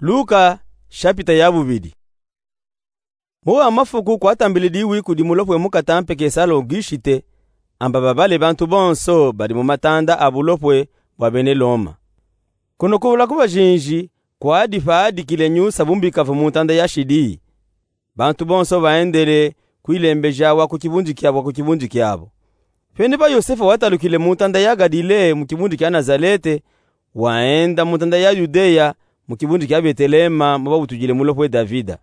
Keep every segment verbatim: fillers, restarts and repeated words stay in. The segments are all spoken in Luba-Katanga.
Luka, shapita ya bubidi. Mu wa mafuku kwatambilidi wiku di mulopwe mukatampe ke sala Ogusite, amba babale bantu bonso badi mu matanda a bulopwe bwa bene Loma. Kuno kubula ku bajinji, kwadi fadikile nyusa bu mbika vo mu ntanda ya shidi. Bantu bonso baendele kwilembeja wa ku kibundu kiabo, ku kibundu kiabo. Fene pa Yosefa watalukile mu ntanda ya Galile, mu kibundu kia Nazalete, waenda mu ntanda ya Yudeya, mu kibundu kia Betelema, mo babutudile mulopwe Davida.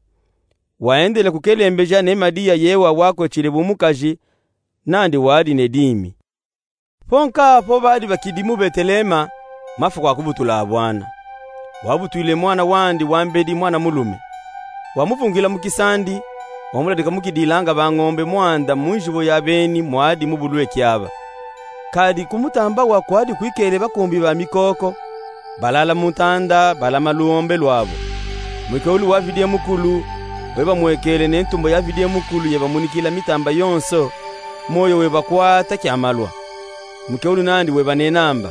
Waendele kukelembeja ne Madiya ye wa wakwetshile bu mukaji, nandi wadi ne dimi. Po nka po badi bakidi mu Betelema, mafuku a kubutula abwana. Wabutwile mwana wandi wa mbedi, mwana mulume. Wamuvungila mu kisandi, wamuladika mu kidilanga bangombe mwanda mu njibo ya beni mwadi mu bulwe kiaba. Kadi ku mutamba wa kwadi kwikele bakumbi ba mikoko, balala mu ntanda, balama luombe lwabo. Mwikewulu wa Vidie Mukulu weba mwekele ne ntumbo ya Vidie Mukulu yeba munikila mitamba yonso, moyo weba kwata kia malwa. Mwikewulu nandi weba nena amba: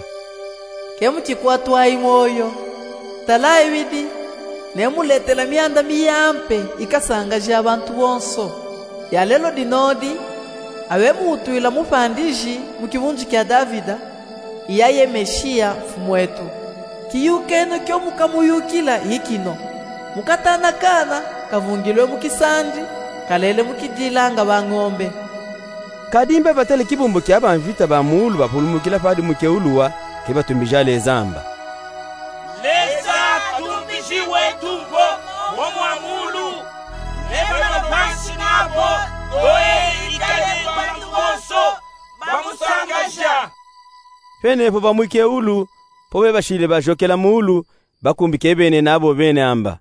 Ke mukikwatwayi moyo. Talayi bidi, nemuletela mianda miyampe ikasangaja bantu bonso. Ya lelo dinodi, abe muutwila mufandiji mu kibundu kia Davida, iya ye Meshiya, Mfumu etu. Kiyukeno kio mukamuyukila ikino: Mukatana kana kavungilwe mu kisandi, kalele mu kidilanga bangombe. Kadi mbe batele kibumbu kia bamvita ba muulu bapulumukila padi mwikewulu wa, ke batumbija Leza amba: Leza, Ntumbiji wetu, mbo mo mwa muulu, ne bana bansi nabo, boye ikale bantu bonso bamusangaja. Fene po ba mwikewulu, po bebashile bajokela muulu, bakumbi ke bene nabo bene amba: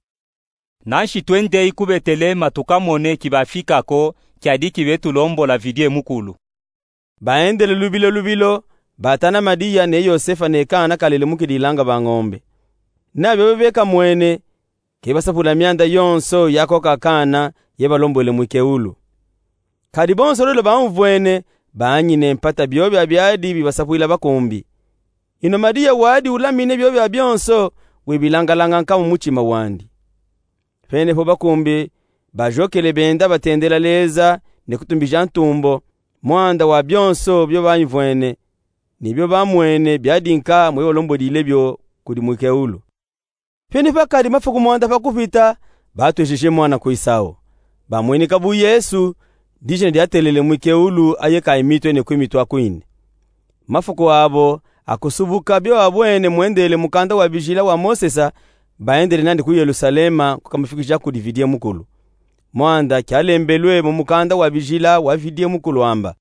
Nanshi twendeyi ku Betelema tukamone kibafika ko, kiadi kibetulombola Vidie Mukulu. Baendele lubilo lubilo, batana Madiya ne Yosefa ne kana kalele mu kidilanga bangombe. Na biobo bekamwene, ke basapula mianda yonso ya koka kana yebalombwele mwikewulu. Kadi bonso lolo bamuvwene, baanyine mpata biobia biadi bibasapwila bakumbi. Ino Madiya wadi ulamine biobia bionso, webilangalanga nka mu mutima wandi. Fene po bakumbi bajokele benda batendela Leza ne kutumbija ntumbo, mwanda wa bionso bio bamuvwene, ne bio bamwene biadi nka mwe balombwedile bio kudi mwikewulu. Fene pakadi mafuku mwanda pa kupita, batwejije mwana ku isawo. Bamwinka bu Yesu, dijina diatelele mwikewulu aye kayimitwe ne kwimitwa kwine. Mafuku abo a kusubuka bio babwene mwendele mukanda wa bijila wa Mosesa, baendele nandi ku Yelusalema kukamufikija kudi Vidie Mukulu. Mwanda kialembelwe mu mukanda wa bijila wa Vidie Mukulu amba: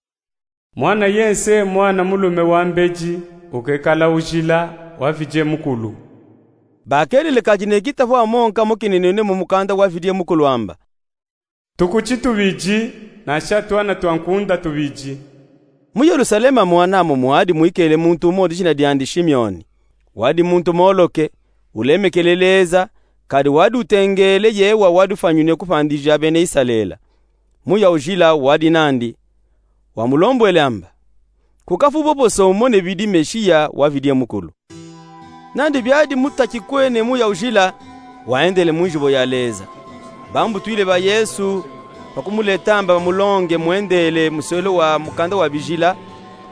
Mwana yense, mwana mulume wa mbedi, ukekala ujila wa Vidie Mukulu. Bakelele kadi ne kitafu amo nka mo kinenene mu mukanda wa Vidie Mukulu amba: Tukuti tubidi, nansha twana twa nkunda tubidi. Mu Yelusalema mwena amo mwadi mwikele muntu umo dijina diandi Shimioni. Wadi muntu moloke, ulemekele Leza, kadi wadi utengele ye wa wadi ufwanyinwe kufwandija bena Isalele. Muya ujila wadi nandi, wamulombwele amba: Kukafu boboso umone bidi Meshiya wa Vidie Mukulu. Nandi biadi mutaki kwene muya ujila, waendele mu njibo ya Leza. Bambutwile ba Yesu, pa kumuleta amba bamulonge mwendele muswelo wa mukanda wa bijila,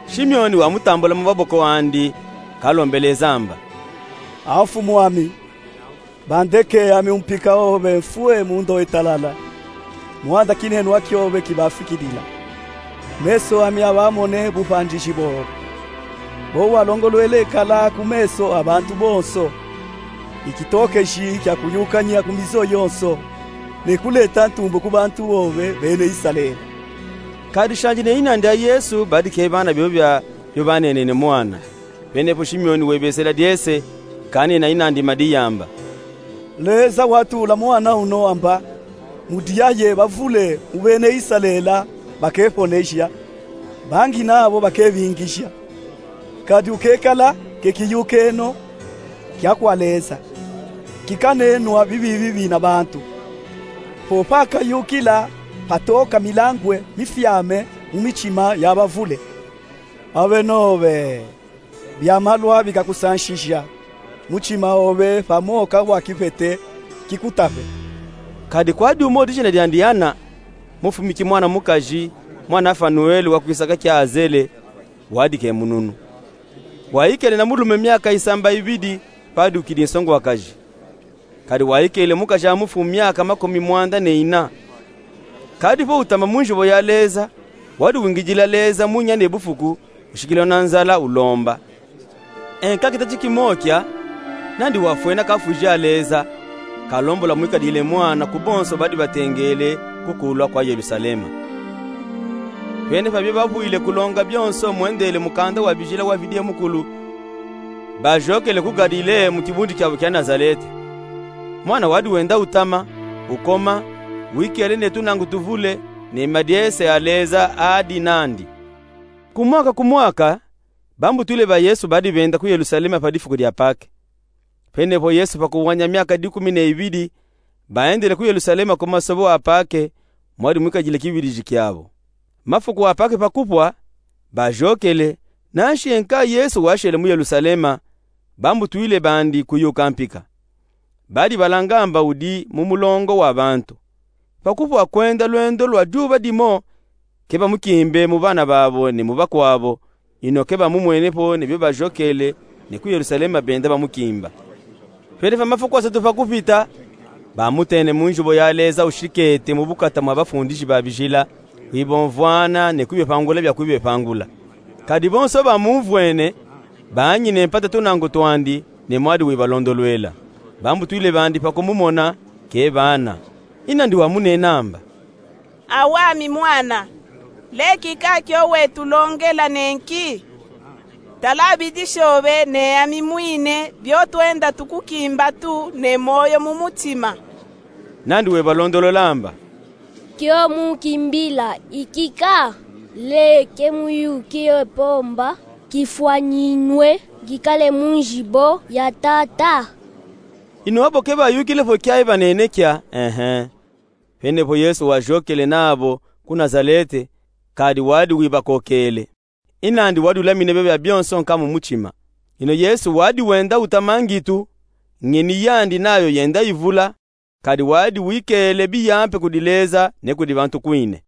Shimioni wamutambula mu maboko andi, kalombele Leza amba: A Mfumu ami, bandeke ami umpika obe mfwe mu ndoyi talala, mwanda kinenwa kiobe kibafikidila. Meso ami abamone bufwandiji bobe, bo walongolwele kala ku meso a bantu bonso ikitokeji kia kuyukanya ku mizo yonso, ne kuleta ntumbo ku bantu bobe bena Isalele. Kadi shanji ne inandi a Yesu badikebana biobia bio banenene mwana. Penepo Shimioni webesela diese, kanina inandi Madiya amba: Leza watula mwana uno amba, mu diaye bavule mu bena Isalele bakefwoneja, bangina abo bakebingija. Kadi ukekala ke kiyukeno kia kwa Leza, kikanenwa bibibi bina bantu. Po pakayukila patoka milangwe mifyame mu mitima ya bavule. Abe nobe bia malwa bikakusanshija, mutima obe pamo ka wakipete kikutape. Kadi kwadi umo dijina diandi Ana, mufumiki mwana mukaji, mwana Fanuele wa kwisaka kia Azele, wadi ke mununu. Waikele na mulume miaka isamba ibidi, padukidi nsonguakaji. Kadi waikele mukaji amufu miaka makumi mwanda ne ina. Kadi vo utama mu nzivo ya Leza, wadi wingidila Leza munya ne bufuku, ushikila na nzala ulomba. E nkakita tikimokia, nandi wafwena kafwiji a Leza, kalombola mwikadile mwana ku bonso badi batengele ku kulwa kwa Yelusalema. Pene pabio bavwile kulonga bionso mwendele mukanda wa bijila wa Vidiye Mukulu, bajokele ku Galile mu kibundi kiabo kia Nazalete. Mwana wadi wenda utama, ukoma, wikele ne tunangu tuvule, ne madiese a Leza adi nandi. Ku mwaka ku mwaka, bambutwile ba Yesu badi benda ku Yelusalema pa difuku dia Pake. Pene vo Yesu pa kuwanya miaka dikumi ne ibidi, baendele ku Yelusalema ku masobo a Pake, mwadi mwikadile kiwiliji kiabo. Mafuku a Pake pa kupwa, bajokele, nanshi e nka Yesu washele mu Yelusalema, bambutwile bandi kuyuka mpika. Badi balanga amba udi mu mulongo wa bantu. Pa kupwa kwenda lwendo lwa juba dimo, ke bamukimbe mu bana babo ne mu bakwabo, ino ke bamumwene po ne bio bajokele, ne ku Yelusalema benda bamukimba. Pele pa mafuku asatu pa kupita, bamutene mu nzibo ya Leza ushikete mu bukata mwa bafundiji ba bijila, kwibomvwana ne kwibepangula bia kwibepangula. Kadi bonso bamumvwene, banyine mpata tunangu twandi, ne mwadi wibalondolwela. Bambutwile bandi pa kumumona, ke bana. I nandi wamunena amba: Awami mwana, lekika kio wetulongela nenki? Tala bidisho be ne ami mwine bio twenda tukukimba tu ne moyo mu mutima. Nandi webalondolola amba: Kio mukimbila ikika? Leke muyuki e pomba, kifwanyinwe, kikale mu nzibo ya Tata. Ino abo ke bayukile vo kiayi banenekia, ehe. Pene vo Yesu wajokele nabo ku Nazalete, kadi wadi wibakokele. I nandi wadi ulamine bio bia bionso nka mu mutima. Ino Yesu wadi wenda utama ngitu, ngeni yandi nayo yenda ivula, kadi wadi wikele biyampe kudi Leza ne kudi bantu kwine.